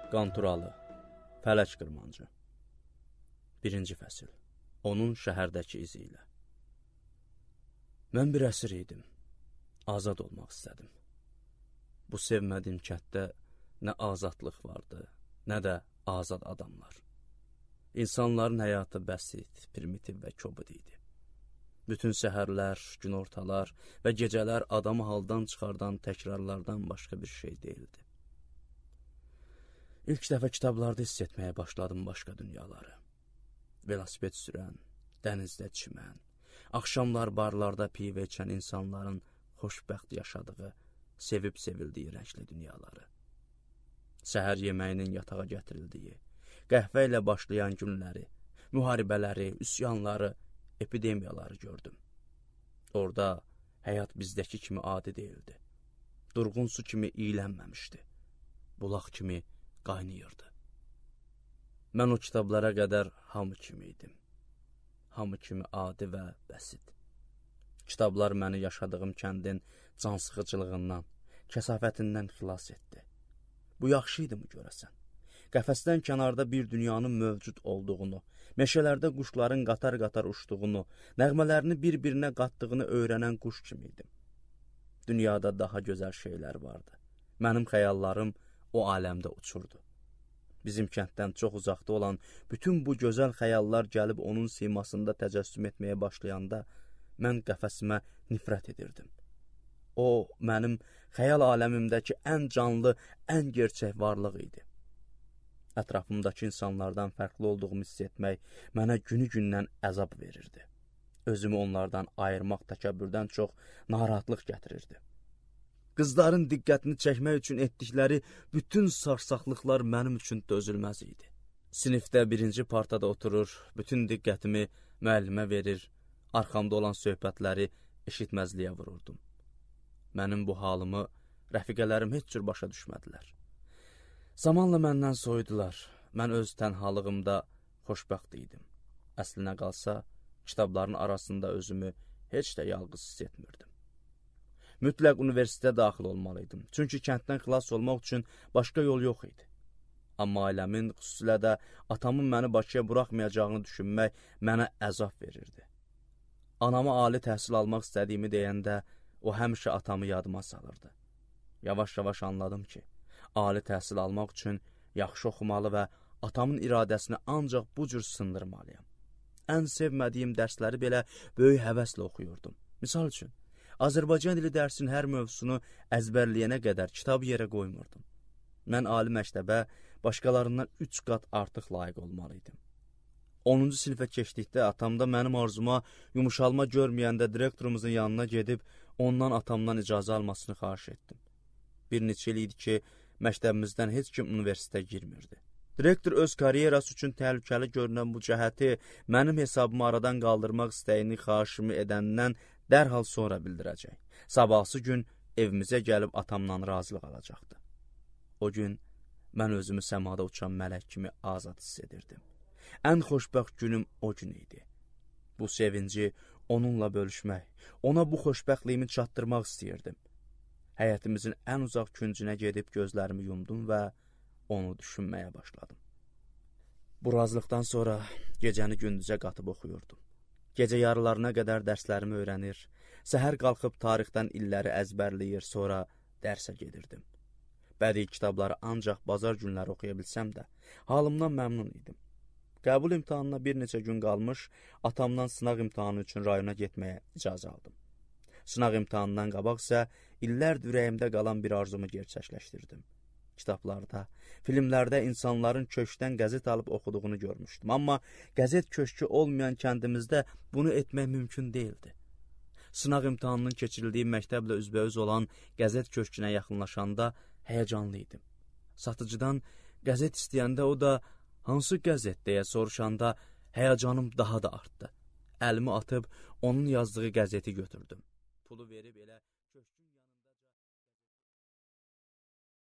Qanturalı, Fələk Qırmancı 1-ci fəsil. Onun şəhərdəki izi ilə. Mən bir əsir idim. Azad olmaq istədim. Bu sevmədiyim kənddə nə azadlıq vardı, nə də azad adamlar. İnsanların həyatı bəsit, primitiv və kobud idi. Bütün səhərlər, günortalar və gecələr adamı haldan çıxardan təkrarlardan başqa bir şey deyildi. İlk dəfə kitablarda hiss etməyə başladım başqa dünyaları. Velosiped sürən, dənizdə çimən, axşamlar barlarda pivə içən insanların xoşbəxt yaşadığı, sevib sevildiyi rəngli dünyaları. Səhər yeməyinin yatağa gətirildiyi, qəhvə ilə başlayan günləri, müharibələri, üsyanları, epidemiyaları gördüm. Orada həyat bizdəki kimi adi deyildi. Durğun su kimi iylənməmişdi. Bulaq kimi qaynayırdı. Mən o kitablara qədər hamı kimi idim. Hamı kimi adi və bəsit. Kitablar məni yaşadığım kəndin cansıxıcılığından, kəsafətindən xilas etdi. Bu yaxşı idi mi görəsən? Qəfəsdən kənarda bir dünyanın mövcud olduğunu, meşələrdə quşların qatar-qatar uçduğunu, nəğmələrini bir-birinə qatdığını öyrənən quş kimi idim. Dünyada daha gözəl şeylər vardı. Mənim xəyallarım o aləmdə uçurdu. Bizim kənddən çox uzaqda olan bütün bu gözəl xəyallar gəlib onun simasında təcəssüm etməyə başlayanda mən qəfəsimə nifrət edirdim. O, mənim xəyal aləmimdəki ən canlı, ən gerçək varlıq idi. Ətrafımdakı insanlardan fərqli olduğumu hiss etmək mənə günü-gündən əzab verirdi. Özümü onlardan ayırmaq təkəbbürdən çox narahatlıq gətirirdi. Qızların diqqətini çəkmək üçün etdikləri bütün sarsaqlıqlar mənim üçün dözülməz idi. Sinifdə 1-ci partada oturur, bütün diqqətimi müəllimə verir, arxamda olan söhbətləri eşitməzliyə vururdum. Mənim bu halımı rəfiqələrim heç cür başa düşmədilər. Zamanla məndən soyudular. Mən öz tənhalığımda xoşbəxt idim. Əslinə qalsa, kitabların arasında özümü heç də yalqız hiss etmirdim. Mütləq universitetə daxil olmalıydım. Çünki kənddən xilas olmaq üçün başqa yol yox idi. Amma ailəmin, xüsusilə də atamın məni Bakıya buraxmayacağını düşünmək mənə əzab verirdi. Anama ali təhsil almaq istədiyimi deyəndə o həmişə atamı yadıma salırdı. Yavaş-yavaş anladım ki, ali təhsil almaq üçün yaxşı oxumalı və atamın iradəsini ancaq bu cür sındırmalıyam. Ən sevmədiyim dərsləri belə böyük həvəslə oxuyurdum. Misal üçün, Azərbaycan dili dərsinin hər mövzusunu əzbərləyənə qədər kitab yerə qoymurdum. Mən ali məktəbə başqalarından 3 qat artıq layiq olmalıydım. 10-cu sinifə keçdikdə atamda mənim arzuma yumuşalma görməyəndə direktorumuzun yanına gedib ondan atamdan icazə almasını xahiş etdim. Bir neçə il idi ki, məktəbimizdən heç kim universitetə girmirdi. Direktor öz karyerası üçün təhlükəli görünən bu cəhəti mənim hesabımı aradan qaldırmaq istəyini xahişimi edəndən dərhal sonra bildirəcək. Sabahsı gün evimizə gəlib atamdan razılıq alacaqdı. O gün mən özümü səmada uçan mələk kimi azad hiss edirdim. Ən xoşbəxt günüm o gün idi. Bu sevinci onunla bölüşmək, ona bu xoşbəxtliyimi çatdırmaq istəyirdim. Həyətimizin ən uzaq küncünə gedib gözlərimi yumdum və onu düşünməyə başladım. Bu razılıqdan sonra gecəni gündüzə qatıb oxuyurdum. Gecə yarılarına qədər dərslərimi öyrənir, səhər qalxıb tarixdən illəri əzbərləyir, sonra dərsə gedirdim. Bədii kitabları ancaq bazar günləri oxuya bilsəm də, halımdan məmnun idim. Qəbul imtahanına bir neçə gün qalmış, atamdan sınaq imtahanı üçün rayona getməyə icazə aldım. Sınaq imtahanından qabaq isə illərdir ürəyimdə qalan bir arzumu gerçəkləşdirdim. Kitablarda, filmlərdə insanların köşkdən qəzet alıb oxuduğunu görmüşdüm. Amma qəzet köşkü olmayan kəndimizdə bunu etmək mümkün deyildi. Sınaq imtahanının keçirildiyi məktəblə üzbəüz olan qəzet köşkünə yaxınlaşanda həyəcanlı idim. Satıcıdan qəzet istəyəndə o da hansı qəzet deyə soruşanda həyəcanım daha da artdı. Əlimi atıb onun yazdığı qəzeti götürdüm. Pulu verib elə